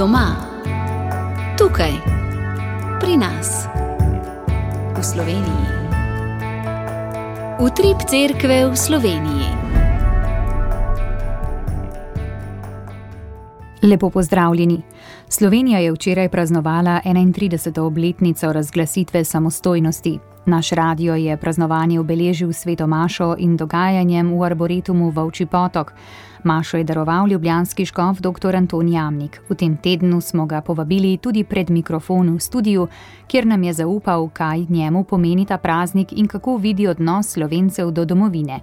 Doma, tukaj, pri nas, v Sloveniji. Utrip cerkve v Sloveniji. Lepo pozdravljeni. Slovenija je včeraj praznovala 31. obletnico razglasitve samostojnosti. Naš radio je praznovanje obeležil s sveto mašo in dogajanjem v Arboretumu Volčji Potok. Mašo je daroval ljubljanski škof dr. Anton Jamnik. V tem tednu smo ga povabili tudi pred mikrofon v studiu, kjer nam je zaupal, kaj njemu pomeni ta praznik in kako vidi odnos Slovencev do domovine.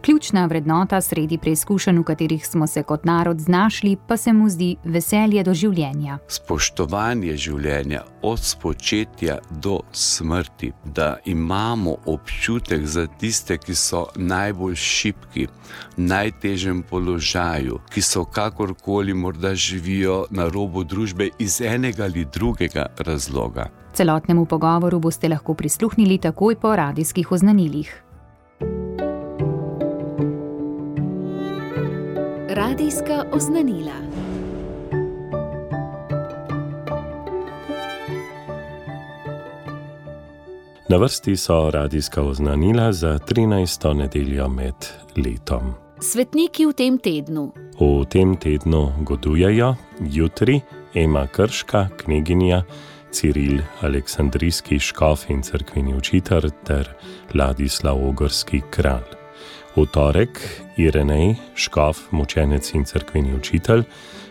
Ključna vrednota sredi preizkušenj, v katerih smo se kot narod znašli, pa se mu zdi veselje do življenja. Spoštovanje življenja od spočetja do smrti, da imamo občutek za tiste, ki so najbolj šibki, v najtežjem položaju, ki so kakorkoli morda živijo na robu družbe iz enega ali drugega razloga. Celotnemu pogovoru boste lahko prisluhnili takoj po radijskih oznanilih. Radijska oznanila. Na vrsti so radijska oznanila za 13. nedeljo med letom. Svetniki v tem tednu. V tem tednu godujejo jutri Ema Krška, kneginja, Ciril Aleksandrijski škof in cerkveni učitelj ter Ladislav Ogrski kralj. V torek Irenej, škof, mučenec in cerkveni učitelj,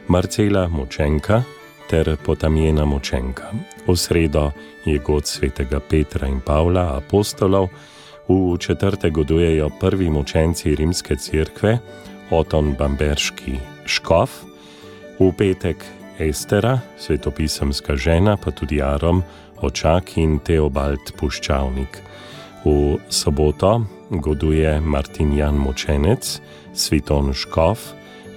Marcela Mučenka ter Potamjena Mučenka. V sredo je god svetega Petra in Pavla, apostolov. V četrtek godujejo prvi mučenci rimske cerkve, Oton Bamberški škof. V petek Estera, svetopisemska žena, pa tudi Arom Očak in Teobald Puščavnik. V soboto goduje Martinjan Mučenec, Sviton škof,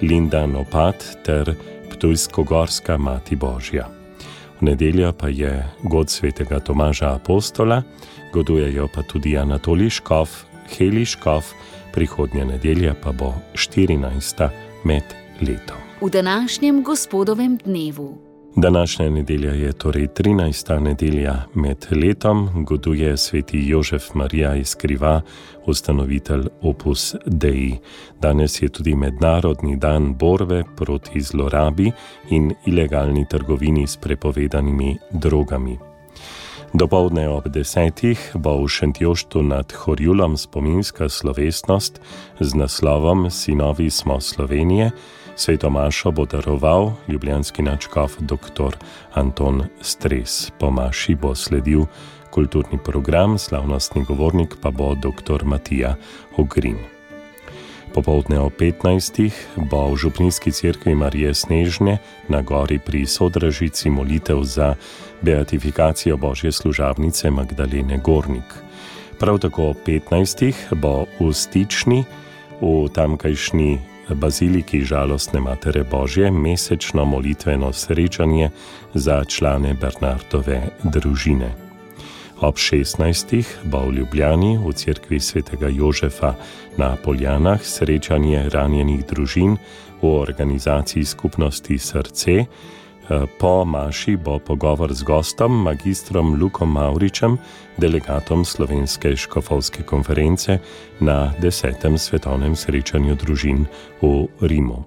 Linda Nopat ter Ptujsko-Gorska mati Božja. V nedeljo pa je god svetega Tomaža apostola, godujejo pa tudi Anatolij škof, Heli škof, prihodnja nedelja pa bo 14. med letom. V današnjem gospodovem dnevu. Današnja nedelja je torej 13. nedelja med letom, goduje sveti Jožef Marija iz Kriva, ustanovitelj Opus Dei. Danes je tudi mednarodni dan borbe proti zlorabi in ilegalni trgovini s prepovedanimi drogami. Dopoldne ob 10. bo v Šentjoštu nad Horjulom spominska slovesnost z naslovom Sinovi smo Slovenije. Sveto mašo bo daroval ljubljanski nadškof dr. Anton Stres. Po maši bo sledil kulturni program, slavnostni govornik pa bo dr. Matija Ogrin. Popoldne o 15. bo v župnijski cerkvi Marije Snežne na gori pri Sodražici molitev za beatifikacijo Božje služabnice Magdalene Gornik. Prav tako o 15. bo v Stični, v tamkajšnji baziliki Žalostne Matere Božje, mesečno molitveno srečanje za člane Bernardove družine. Ob 16. bo v Ljubljani v cerkvi svetega Jožefa na Poljanah srečanje ranjenih družin v organizaciji skupnosti Srce. Po maši bo pogovor z gostom, magistrom Lukom Mavričem, delegatom Slovenske škofovske konference na 10. svetovnem srečanju družin v Rimu.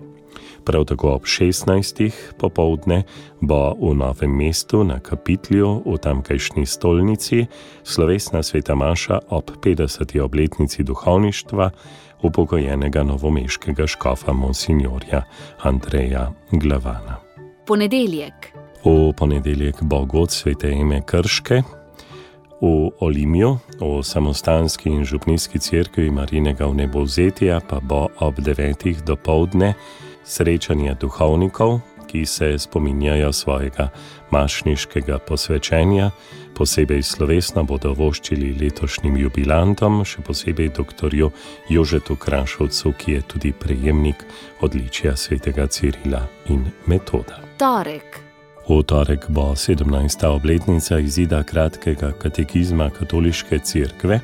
Prav tako ob 16. popoldne bo v Novem mestu na Kapitlju v tamkajšnji stolnici slovesna sveta maša ob 50. obletnici duhovništva upokojenega novomeškega škofa monsignorja Andreja Glavana. Ponedeljek. V ponedeljek bo god svete Eme Krške. V Olimju, v samostanski in župnijski cerkvi Marijinega vnebovzetja pa bo ob 9. dopoldne srečanje duhovnikov, ki se spominjajo svojega mašniškega posvečenja. Posebej slovesno bodo voščili letošnjim jubilantom, še posebej doktorju Jožetu Krašovcu, ki je tudi prejemnik odličja svetega Cirila in Metoda. Torek. V torek bo 17. obletnica izida kratkega katekizma katoliške cerkve.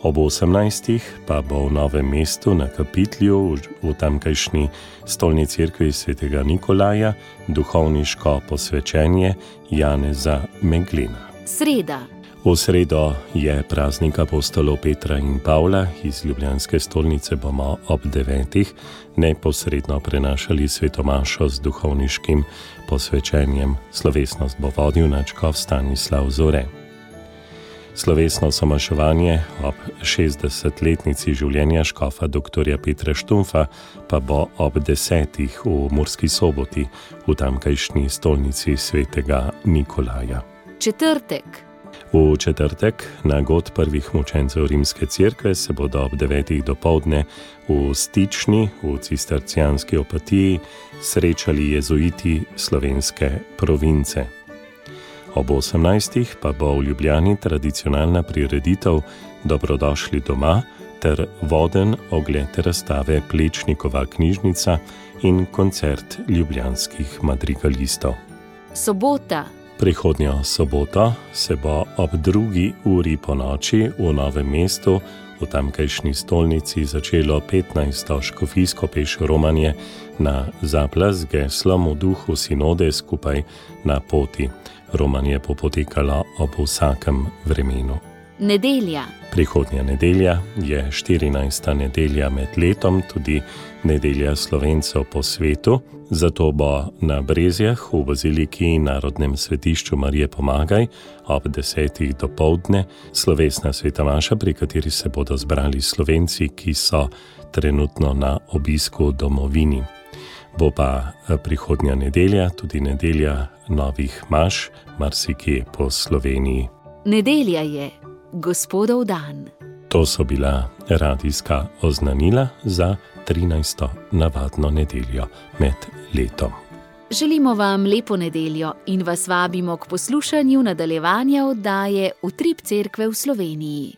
Ob 18. pa bo v Novem mestu na Kapitlju v tamkajšnji stolni cerkvi svetega Nikolaja duhovniško posvečenje Janeza Meglena. Sreda. V sredo je praznik apostolov Petra in Pavla. Iz ljubljanske stolnice bomo ob 9. neposredno prenašali svetomašo z duhovniškim posvečenjem. Slovesnost bo vodil nadškof Stanislav Zore. Slovesno somaševanje ob 60-letnici življenja škofa dr. Petra Štumfa pa bo ob 10. v Murski Soboti v tamkajšnji stolnici svetega Nikolaja. Četrtek. V četrtek na god prvih mučencev Rimske cerkve se bodo ob 9. dopoldne v Stični v cistercijanski Opatiji srečali jezuiti slovenske province. Ob 18. pa bo v Ljubljani tradicionalna prireditev Dobrodošli doma ter voden ogled razstave Plečnikova knjižnica in koncert ljubljanskih madrigalistov. Sobota. Prihodnjo soboto se bo ob 2. uri po noči v Novem mestu v tamkajšnji stolnici začelo 15. škofijsko peš romanje na zaplas z geslom v duhu sinode skupaj na poti. Romanje bo potekalo ob vsakem vremenu. Nedelja. Prihodnja nedelja je 14. nedelja med letom, tudi nedelja Slovencev po svetu, zato bo na Brezjah v baziliki in Narodnem svetišču Marije Pomagaj ob 10. dopoldne slovesna sveta maša, pri kateri se bodo zbrali Slovenci, ki so trenutno na obisku v domovini. Bo pa prihodnja nedelja tudi nedelja novih maš, marsikje po Sloveniji. Nedelja je Gospodov dan. To so bila radijska oznanila za 13. navadno nedeljo med letom. Želimo vam lepo nedeljo in vas vabimo k poslušanju nadaljevanja oddaje Utrip cerkve v Sloveniji.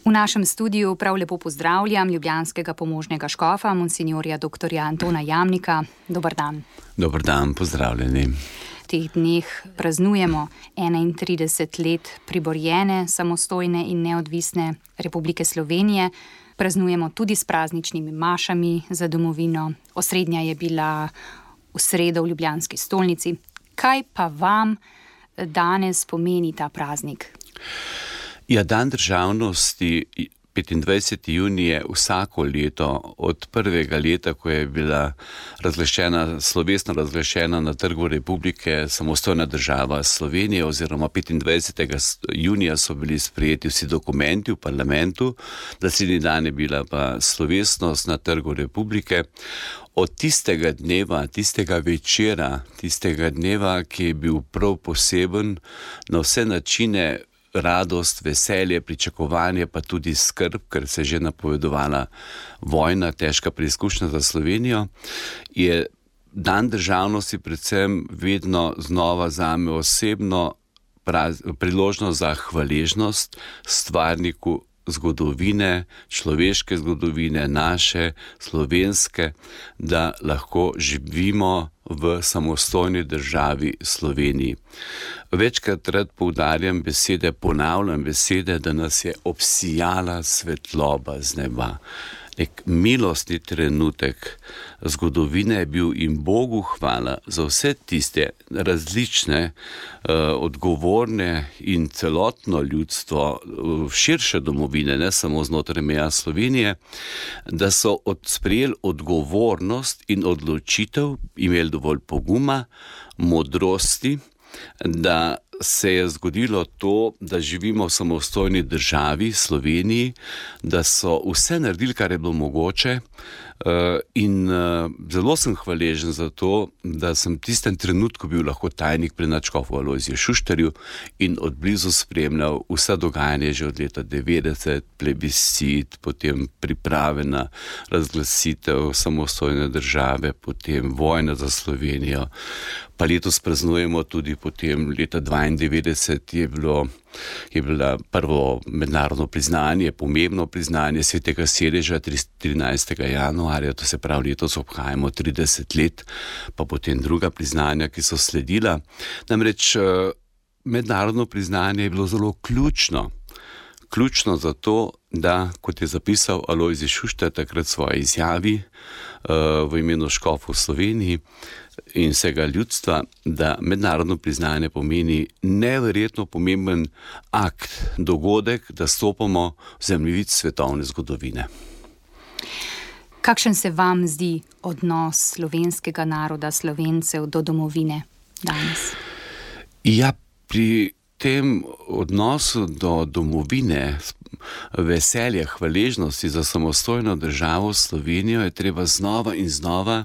V našem studiu prav lepo pozdravljam ljubljanskega pomožnega škofa, monsinjorja dr. Antona Jamnika. Dobar dan. Dobar dan, pozdravljeni. V teh dneh praznujemo 31 let priborjene, samostojne in neodvisne Republike Slovenije. Praznujemo tudi s prazničnimi mašami za domovino. Osrednja je bila v sredo v ljubljanski stolnici. Kaj pa vam danes pomeni ta praznik? Ja, dan državnosti 25. junij je vsako leto od prvega leta, ko je bila slovesno razglašena na Trgu Republike samostojna država Slovenije, oziroma 25. junija so bili sprejeti vsi dokumenti v parlamentu, naslednji dan je bila pa slovesnost na Trgu Republike. Od tistega dneva, tistega večera, tistega dneva, ki je bil prav poseben na vse načine, radost, veselje, pričakovanje, pa tudi skrb, ker se je že napovedovala vojna, težka preizkušnja za Slovenijo, je dan državnosti predvsem vedno znova zame osebno priložnost za hvaležnost stvarniku zgodovine, človeške zgodovine, naše, slovenske, da lahko živimo v samostojni državi Sloveniji. Večkrat rad poudarjam besede, ponavljam besede, da nas je obsijala svetloba z neba. Nek milostni trenutek zgodovine je bil in Bogu hvala za vse tiste različne, odgovorne in celotno ljudstvo širše domovine, ne samo znotraj meja Slovenije, da so sprejeli odgovornost in odločitev, imeli dovolj poguma, modrosti, da se je zgodilo to, da živimo v samostojni državi, Sloveniji, da so vse naredili, kar je bilo mogoče, in zelo sem hvaležen za to, da sem v tistem trenutku bil lahko tajnik pri nadškofu Alojziju Šuštarju in od blizu spremljal vsa dogajanja že od leta 90, plebiscit, potem priprave na razglasitev samostojne države, potem vojna za Slovenijo. Pa letos praznujemo tudi potem leta 92 je bilo prvo mednarodno priznanje, pomembno priznanje svetega sedeža 13. januarja, to se pravi letos obhajamo 30 let, pa potem druga priznanja, ki so sledila. Namreč mednarodno priznanje je bilo zelo ključno zato, da, kot je zapisal Alojzij Šuštar takrat v svoji izjavi v imenu škofov v Sloveniji in vsega ljudstva, da mednarodno priznanje pomeni neverjetno pomemben akt, dogodek, da stopamo v zemljevid svetovne zgodovine. Kakšen se vam zdi odnos slovenskega naroda, Slovencev do domovine danes? Ja, pri tem odnosu do domovine, veselje, hvaležnosti za samostojno državo Slovenijo je treba znova in znova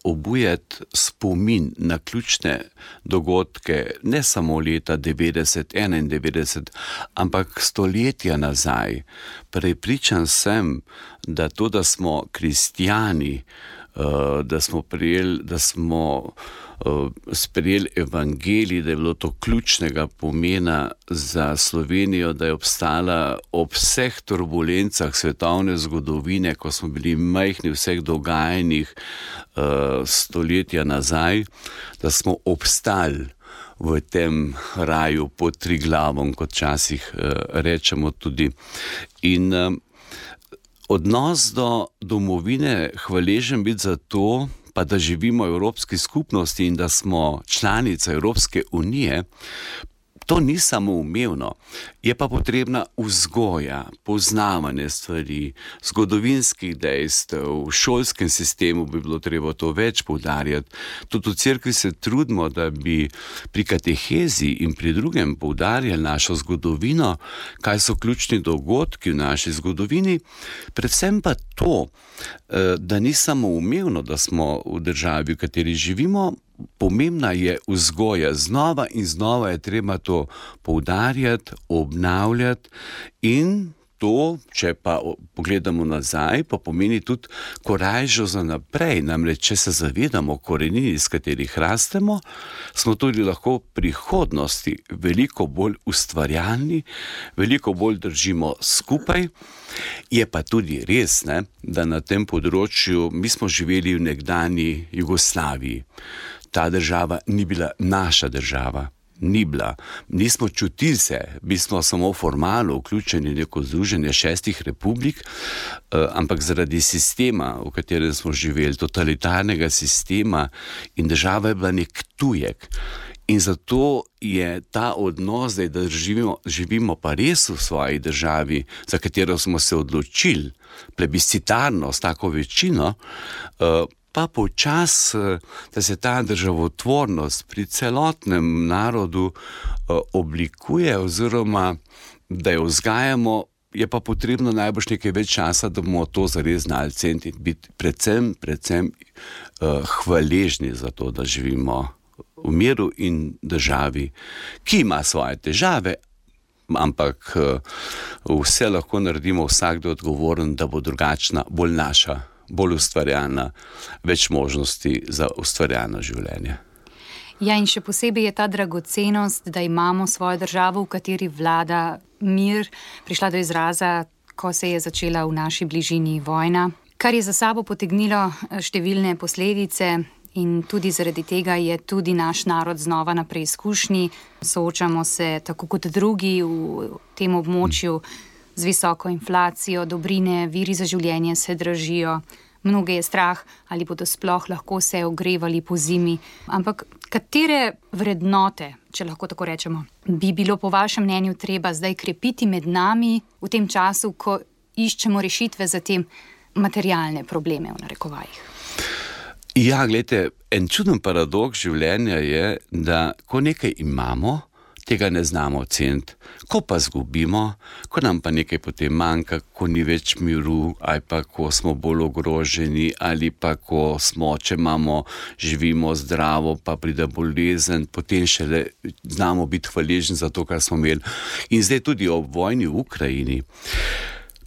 obujati spomin na ključne dogodke, ne samo leta 90-91, ampak stoletja nazaj. Prepričan sem, da to, da smo kristjani, da smo sprejeli evangelij, da je bilo to ključnega pomena za Slovenijo, da je obstala ob vseh turbulencah svetovne zgodovine, ko smo bili majhni v vseh dogajanjih stoletja nazaj, da smo obstali v tem raju pod Triglavom, kot včasih rečemo tudi. In odnos do domovine, hvaležen biti za to, pa da živimo v Evropski skupnosti in da smo članica Evropske unije, to ni samoumevno. Je pa potrebna vzgoja, poznavanje stvari, zgodovinskih dejstev, v šolskem sistemu bi bilo treba to več poudarjati. Tudi v cerkvi se trudimo, da bi pri katehezi in pri drugem poudarjali našo zgodovino, kaj so ključni dogodki v naši zgodovini, predvsem pa to, da ni samoumevno, da smo v državi, v kateri živimo. Pomembna je vzgoja, znova in znova je treba to poudarjati, obnavljati in to, če pa pogledamo nazaj, pa pomeni tudi korajžo za naprej. Namreč, če se zavedamo korenin, iz katerih rastemo, smo tudi lahko v prihodnosti veliko bolj ustvarjalni, veliko bolj držimo skupaj. Je pa tudi res, da na tem področju mi smo živeli v nekdanji Jugoslaviji. Ta država ni bila naša država. Ni bila. Nismo čutili se, mi smo samo formalno vključeni v neko združenje 6 republik, ampak zaradi sistema, v katerem smo živeli, totalitarnega sistema, in država je bila nek tujek. In zato je ta odnos, da živimo pa res v svoji državi, za katero smo se odločili, plebiscitarno, s tako večino, pa počas, da se ta državotvornost pri celotnem narodu oblikuje oziroma da jo vzgajamo, je pa potrebno najbrž nekaj več časa, da bomo to zares znali ceniti, biti predvsem hvaležni za to, da živimo v miru in državi, ki ima svoje težave, ampak vse lahko naredimo, vsakdo odgovoren, da bo drugačna, bolj naša, bolj ustvarjalna, več možnosti za ustvarjalno življenje. Ja, in še posebej je ta dragocenost, da imamo svojo državo, v kateri vlada mir, prišla do izraza, ko se je začela v naši bližini vojna, kar je za sabo potegnilo številne posledice. In tudi zaradi tega je tudi naš narod znova na preizkušnji. Soočamo se, tako kot drugi v tem območju, z visoko inflacijo, dobrine, viri za življenje se dražijo. Mnoge je strah, ali bodo sploh lahko se ogrevali po zimi. Ampak katere vrednote, če lahko tako rečemo, bi bilo po vašem mnenju treba zdaj krepiti med nami v tem času, ko iščemo rešitve za te materialne probleme, v narekovajih? Ja, gledajte, en čuden paradoks življenja je, da ko nekaj imamo, tega ne znamo oceniti. Ko pa zgubimo, ko nam pa nekaj potem manjka, ko ni več miru, ali pa ko smo bolj ogroženi, ali pa ko smo, če živimo zdravo, pa pride bolezen, potem šele znamo biti hvaležni za to, kar smo imeli. In zdaj tudi ob vojni v Ukrajini.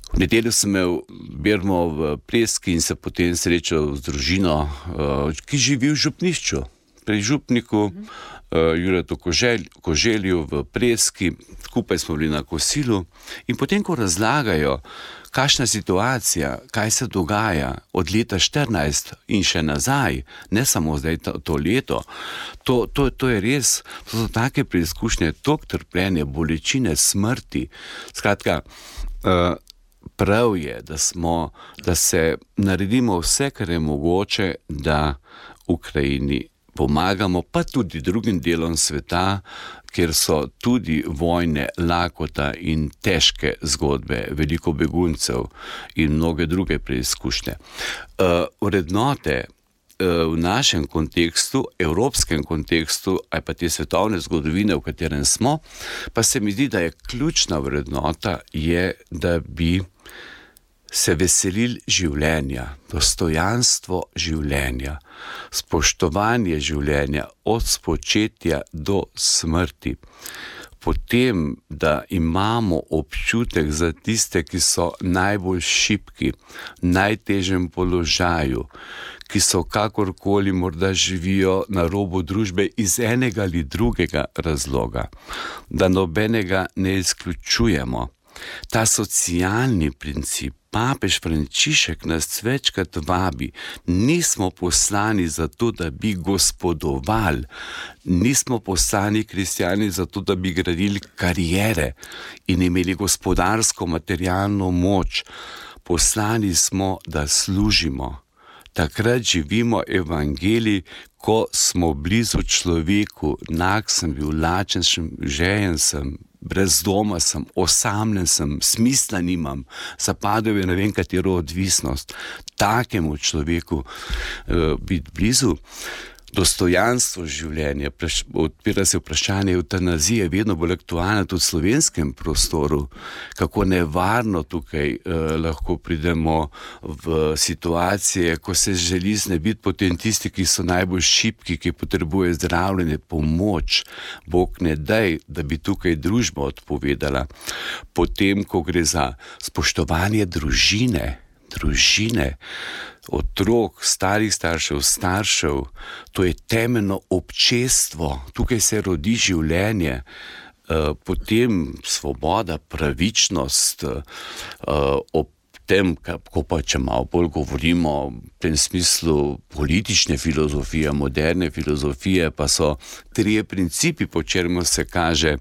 V nedeljo sem imel bermo v Preski in se potem srečal z družino, ki živi v župnišču, pri župniku Juretu Koželju v Preski. Skupaj smo bili na kosilu in potem, ko razlagajo, kakšna situacija, kaj se dogaja od leta 14 in še nazaj, ne samo zdaj to leto, to je res, to so take preizkušnje, toliko trpljenja, bolečine, smrti. Skratka, prav je, da se naredimo vse, kar je mogoče, da Ukrajini pomagamo, pa tudi drugim delom sveta, kjer so tudi vojne, lakota in težke zgodbe, veliko beguncev in mnoge druge preizkušnje. Vrednote v našem kontekstu, evropskem kontekstu, ali pa te svetovne zgodovine, v katerem smo, pa se mi zdi, da je ključna vrednota, da bi se veselili življenja, dostojanstvo življenja, spoštovanje življenja od spočetja do smrti. Potem, da imamo občutek za tiste, ki so najbolj šibki, v najtežjem položaju, ki so kakorkoli morda živijo na robu družbe iz enega ali drugega razloga, da nobenega ne izključujemo. Ta socialni princip, papež Frančišek nas večkrat vabi, nismo poslani zato, da bi gospodovali, nismo poslani kristjani zato, da bi gradili kariere in imeli gospodarsko, materialno moč. Poslani smo, da služimo. Takrat živimo evangelij, ko smo blizu človeku, nag sem bil, lačen sem, žejen sem, brez doma sem, osamljen sem, smisla nimam, zapadel je ne vem katero odvisnost. Takemu človeku biti blizu. Dostojanstvo življenja, odpira se vprašanje evtanazije, vedno bolj aktualno tudi v slovenskem prostoru, kako nevarno tukaj lahko pridemo v situacije, ko se želi znebiti potem tisti, ki so najbolj šibki, ki potrebujejo zdravljenje, pomoč. Bog ne daj, da bi tukaj družba odpovedala. Potem, ko gre za spoštovanje družine, otrok, starih staršev, to je temeljno občestvo, tukaj se rodi življenje, potem svoboda, pravičnost, ob tem, ko pa če malo bolj govorimo v tem smislu politične filozofije, moderne filozofije, pa so trije principi, po čemer se kaže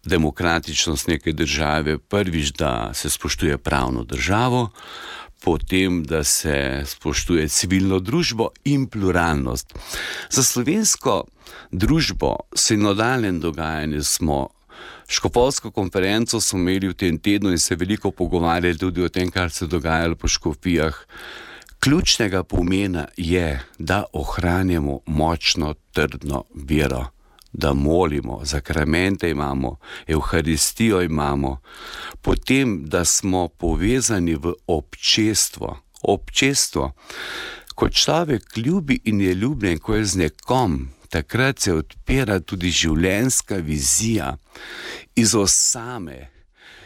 demokratičnost neke države. Prvič, da se spoštuje pravno državo, potem, da se spoštuje civilno družbo in pluralnost. Za slovensko družbo sinodalnem dogajanju smo škofovsko konferenco smo imeli v tem tednu in se veliko pogovarjali tudi o tem, kar se dogajalo po škofijah. Ključnega pomena je, da ohranjamo močno, trdno vero, da molimo, zakramente imamo, evharistijo imamo, potem, da smo povezani v občestvo. Občestvo, ko človek ljubi in je ljubljen, ko je z nekom, takrat se odpira tudi življenjska vizija iz osame,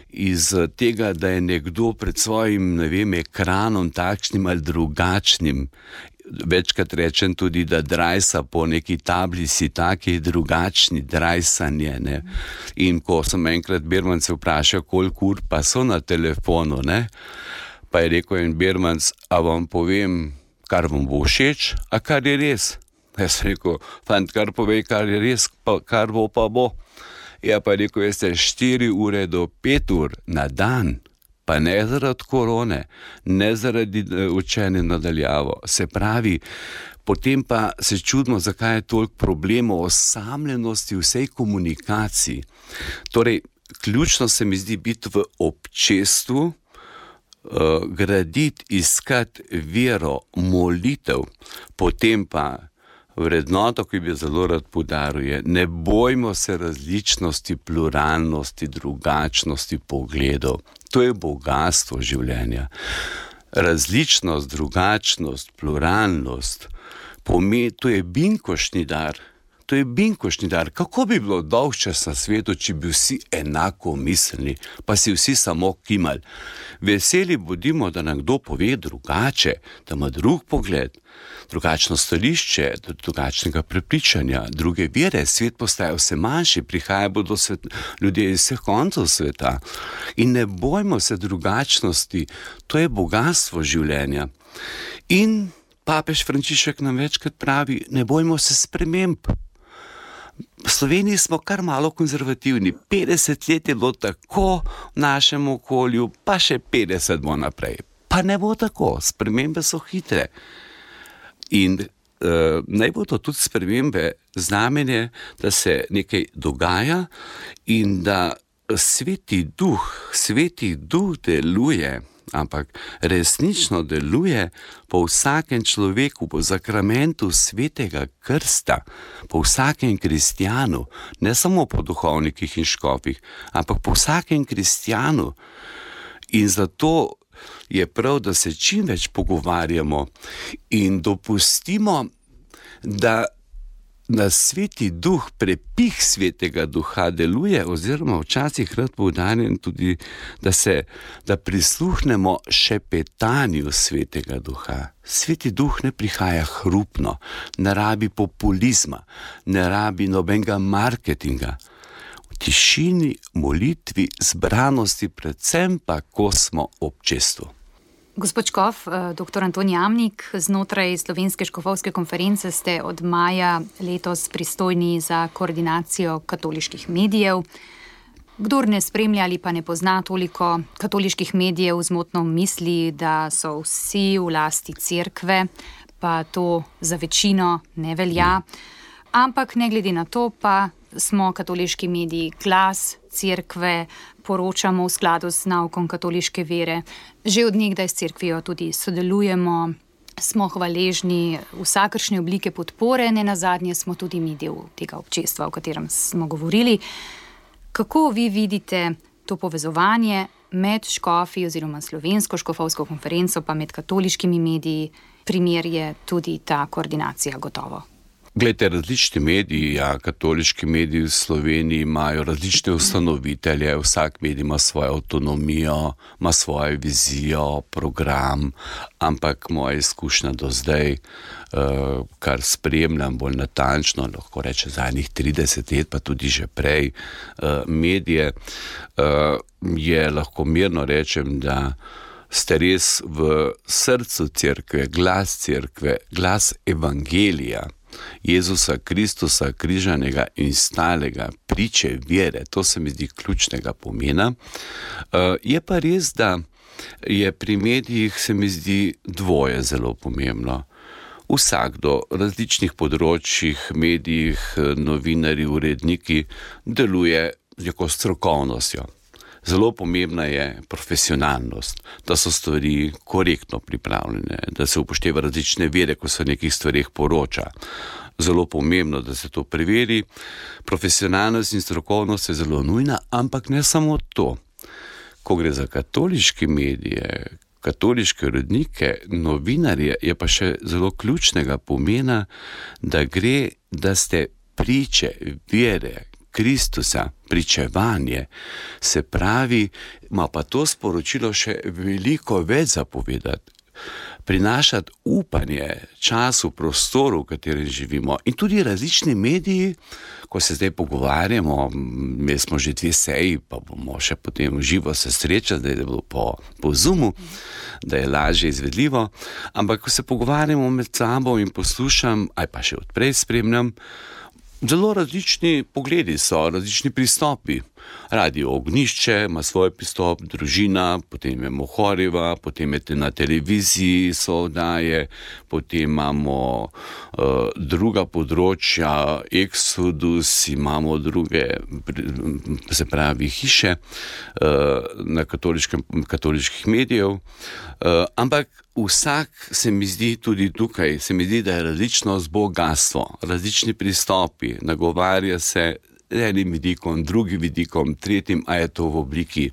iz tega, da je nekdo pred svojim, ekranom takšnim ali drugačnim. Večkrat rečem tudi, da drajsa po neki tablici, taki drugačni drajsanje, ne. In ko sem enkrat Bermance vprašal, koliko ur pa so na telefonu, ne, pa je rekel en Bermans, a vam povem, kar vam bo všeč, a kar je res. Jaz sem rekel, fant, kar povej, kar je res, pa kar bo pa bo. Ja, pa je rekel, 4 ure do 5 ur na dan. Pa ne zaradi korone, ne zaradi učenja nadaljavo. Se pravi, potem pa se čudimo, zakaj je toliko problemov osamljenosti v vsej komunikaciji. Torej, ključno se mi zdi biti v občestvu, graditi, iskati vero, molitev, potem pa vrednoto, ki bi zelo rad poudaril, je, ne bojmo se različnosti, pluralnosti, drugačnosti pogledov. To je bogastvo življenja. Različnost, drugačnost, pluralnost, to je binkoštni dar. To je binkošni dar. Kako bi bilo dolgčas na svetu, če bi vsi enako mislili, pa si vsi samo kimali. Veseli bodimo, da nam kdo pove drugače, da ima drug pogled, drugačno stališče, drugačnega prepričanja, druge vere. Svet postaja vse manjši, prihaja bodo ljudje iz vseh koncev sveta. In ne bojmo se drugačnosti, to je bogastvo življenja. In papež Frančišek nam večkrat pravi, ne bojmo se sprememb. V Sloveniji smo kar malo konzervativni. 50 let je bilo tako v našem okolju, pa še 50 bo naprej. Pa ne bo tako, spremembe so hitre. In naj bodo tudi spremembe znamenje, da se nekaj dogaja in da Sveti Duh deluje, ampak resnično deluje po vsakem človeku, po zakramentu svetega krsta, po vsakem kristjanu, ne samo po duhovnikih in škofih, ampak po vsakem kristjanu. In zato je prav, da se čim več pogovarjamo in dopustimo, da Sveti Duh, prepih Svetega Duha deluje, oziroma včasih rad poudarjam tudi, da prisluhnemo šepetanju Svetega Duha. Sveti Duh ne prihaja hrupno, ne rabi populizma, ne rabi nobenega marketinga. V tišini, molitvi, zbranosti, predvsem pa, ko smo ob čestu. Gospod škof, dr. Anton Jamnik, znotraj Slovenske škofovske konference ste od maja letos pristojni za koordinacijo katoliških medijev. Kdor ne spremlja ali pa ne pozna toliko katoliških medijev, zmotno misli, da so vsi v lasti cerkve, pa to za večino ne velja. Ampak ne glede na to pa smo katoliški mediji glas cerkve, poročamo v skladu z naukom katoliške vere. Že od nekdaj s cerkvijo tudi sodelujemo, smo hvaležni vsakršne oblike podpore, nenazadnje smo tudi mi del tega občestva, o katerem smo govorili. Kako vi vidite to povezovanje med škofi oziroma Slovensko škofovsko konferenco pa med katoliškimi mediji? Primer je tudi ta koordinacija gotovo. Glejte, različni mediji, katoliški mediji v Sloveniji imajo različne ustanovitelje, vsak medij ima svojo avtonomijo, ima svojo vizijo, program, ampak moja izkušnja do zdaj, kar spremljam bolj natančno, lahko reče zadnjih 30 let, pa tudi že prej, medije, je lahko mirno rečem, da ste res v srcu cerkve, glas evangelija, Jezusa Kristusa, križanega in stalega, priče vere. To se mi zdi ključnega pomena. Je pa res, da je pri medijih, se mi zdi, dvoje zelo pomembno. Vsakdo, različnih področjih, medijih, novinarji, uredniki deluje z neko strokovnostjo. Zelo pomembna je profesionalnost, da so stvari korektno pripravljene, da se upošteva različne vere, ko se o nekih stvarih poroča. Zelo pomembno, da se to preveri. Profesionalnost in strokovnost je zelo nujna, ampak ne samo to. Ko gre za katoliške medije, katoliške urednike, novinarje, je pa še zelo ključnega pomena, da ste priče vere Kristusa, pričevanje, se pravi, ima pa to sporočilo še veliko več zapovedati, prinašati upanje času, prostoru, v katerem živimo. In tudi različni mediji, ko se zdaj pogovarjamo, mi smo že 2 seji, pa bomo še potem živo se srečali, da je bilo po Zoomu, da je lažje izvedljivo, ampak ko se pogovarjamo med sabo in poslušam, ali pa še odprej spremljam, zelo različni pogledi so, različni pristopi. Radio Ognišče ima svoj pristop, Družina, potem je Mohorjeva, potem je na televiziji so oddaje, potem imamo druga področja, Exodus, imamo druge, se pravi, hiše na katoliških medijev, ampak vsak se mi zdi tudi tukaj, se mi zdi, da je različnost bogatstvo, različni pristopi, nagovarja se enim vidikom, drugim vidikom, tretjim, a je to v obliki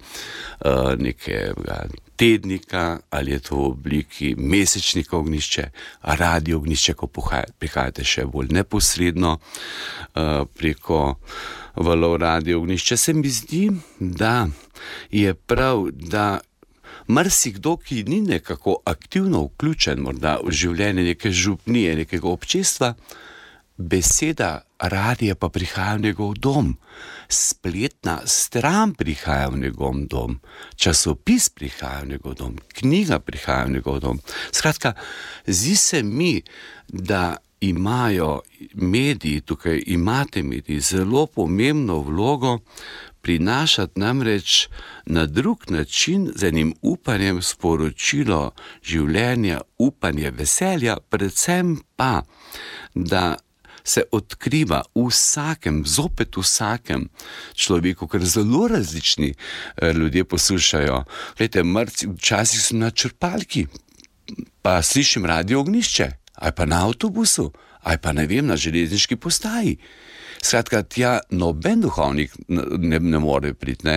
nekega tednika, ali je to v obliki mesečnika Ognjišče, radio Ognjišče, ko prihajate še bolj neposredno preko valov radio Ognjišče. Se mi zdi, da je prav, da marsikdo, ki ni nekako aktivno vključen morda v življenje neke župnije, nekega občestva, beseda radija pa prihaja v njegov dom, spletna stran prihaja v njegov dom, časopis prihaja v njegov dom, knjiga prihaja v njegov dom. Skratka, zdi se mi, da imajo mediji, tukaj imate mediji, zelo pomembno vlogo prinašati namreč na drug način z enim upanjem sporočilo življenja, upanje, veselja, predvsem pa, da se odkriva zopet vsakem človeku, ker zelo različni ljudje poslušajo. Glejte, včasih sem na črpalki, pa slišim radio Ognjišče, ali pa na avtobusu, ali pa ne vem, na železniški postaji. Skratka, tja noben duhovnik ne more priti,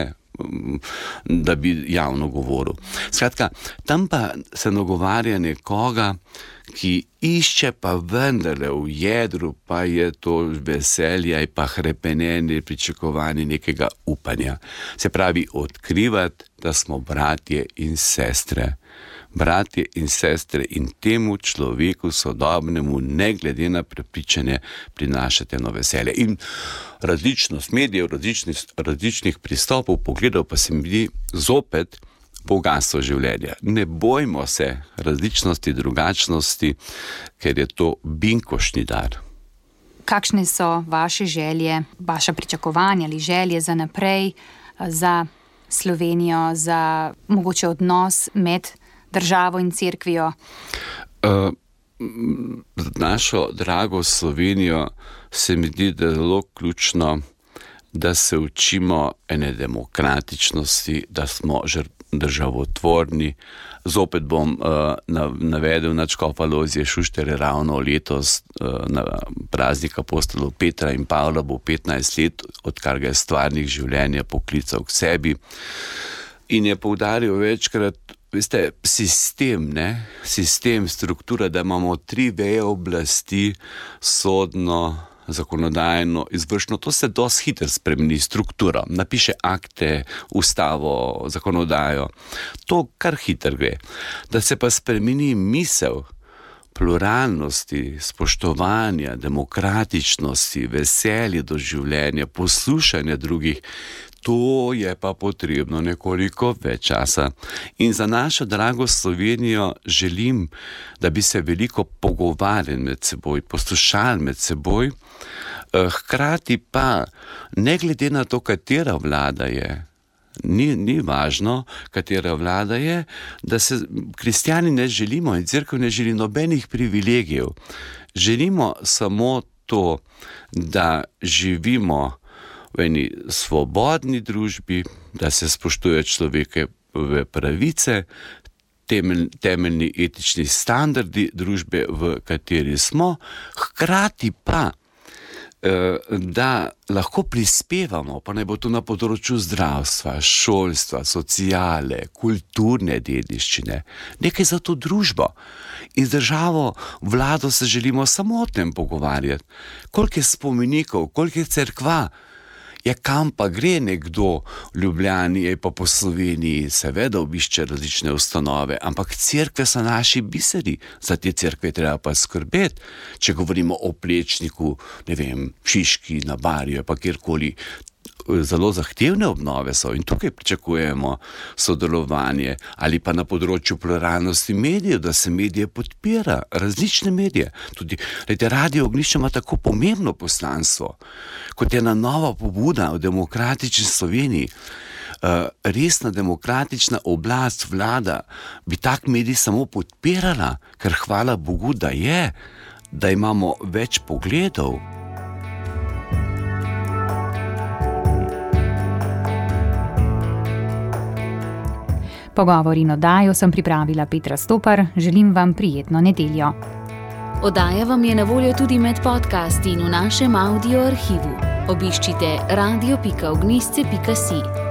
da bi javno govoril. Skratka, tam pa se nagovarja nekoga, ki išče pa vendarle v jedru, pa je to veselje, pa hrepenenje, pričakovanje nekega upanja. Se pravi, odkrivati, da smo bratje in sestre. Bratje in sestre in temu človeku sodobnemu, ne glede na prepričanje, prinašate eno veselje. In različnost medijev, različnih pristopov, pogledov pa se mi zdi zopet bogatstvo življenja. Ne bojmo se različnosti, drugačnosti, ker je to binkošni dar. Kakšne so vaše želje, vaša pričakovanja ali želje za naprej, za Slovenijo, za mogoče odnos med državo in cerkvijo? Za našo drago Slovenijo se mi zdi, da je zelo ključno, da se učimo ene demokratičnosti, da smo državotvorni. Zopet bom navedel nadškofa Lojzija Šušterja, ravno letos na praznik apostolov Petra in Pavla bo 15 let, odkar ga je stvarnik življenja poklical k sebi. In je poudaril večkrat, veste, sistem, struktura, da imamo 3 veje oblasti, sodno, zakonodajno, izvršno, to se dosti hitro spremeni strukturo, napiše akte, ustavo, zakonodajo, to kar hitro gre. Da se pa spremeni misel pluralnosti, spoštovanja, demokratičnosti, veselje do življenja, poslušanja drugih, to je pa potrebno nekoliko več časa. In za našo drago Slovenijo želim, da bi se veliko pogovarjali med seboj, poslušali med seboj, hkrati pa, ne glede na to, katera vlada je, ni važno, katera vlada je, da se kristjani ne želimo in cerkev ne želi nobenih privilegijev. Želimo samo to, da živimo v eni svobodni družbi, da se spoštuje človekove pravice, temeljni etični standardi družbe, v kateri smo, hkrati pa, da lahko prispevamo, pa naj bo to na področju zdravstva, šolstva, sociale, kulturne dediščine, nekaj za to družbo. In z državo, vlado se želimo samo o tem pogovarjati. Koliko je spomenikov, koliko je cerkva, kam pa gre nekdo v Ljubljani, pa po Sloveniji, seveda obišče različne ustanove, ampak cerkve so naši biseri, za te cerkve treba pa skrbeti. Če govorimo o Plečniku, ne vem, Šiški, na Barju, pa kjerkoli, zelo zahtevne obnove so in tukaj pričakujemo sodelovanje, ali pa na področju pluralnosti medijev, da se medije podpira, različne medije. Tudi radio Ognjišče ima tako pomembno poslanstvo, kot je ena nova pobuda v demokratični Sloveniji. Resna demokratična oblast, vlada, bi tak medij samo podpirala, ker hvala Bogu, da imamo več pogledov. Pogovor in oddajo sem pripravila Petra Stopar, želim vam prijetno nedeljo. Oddaja vam je na voljo tudi med podcasti in v našem audio arhivu. Obiščite radio.ognjisce.si.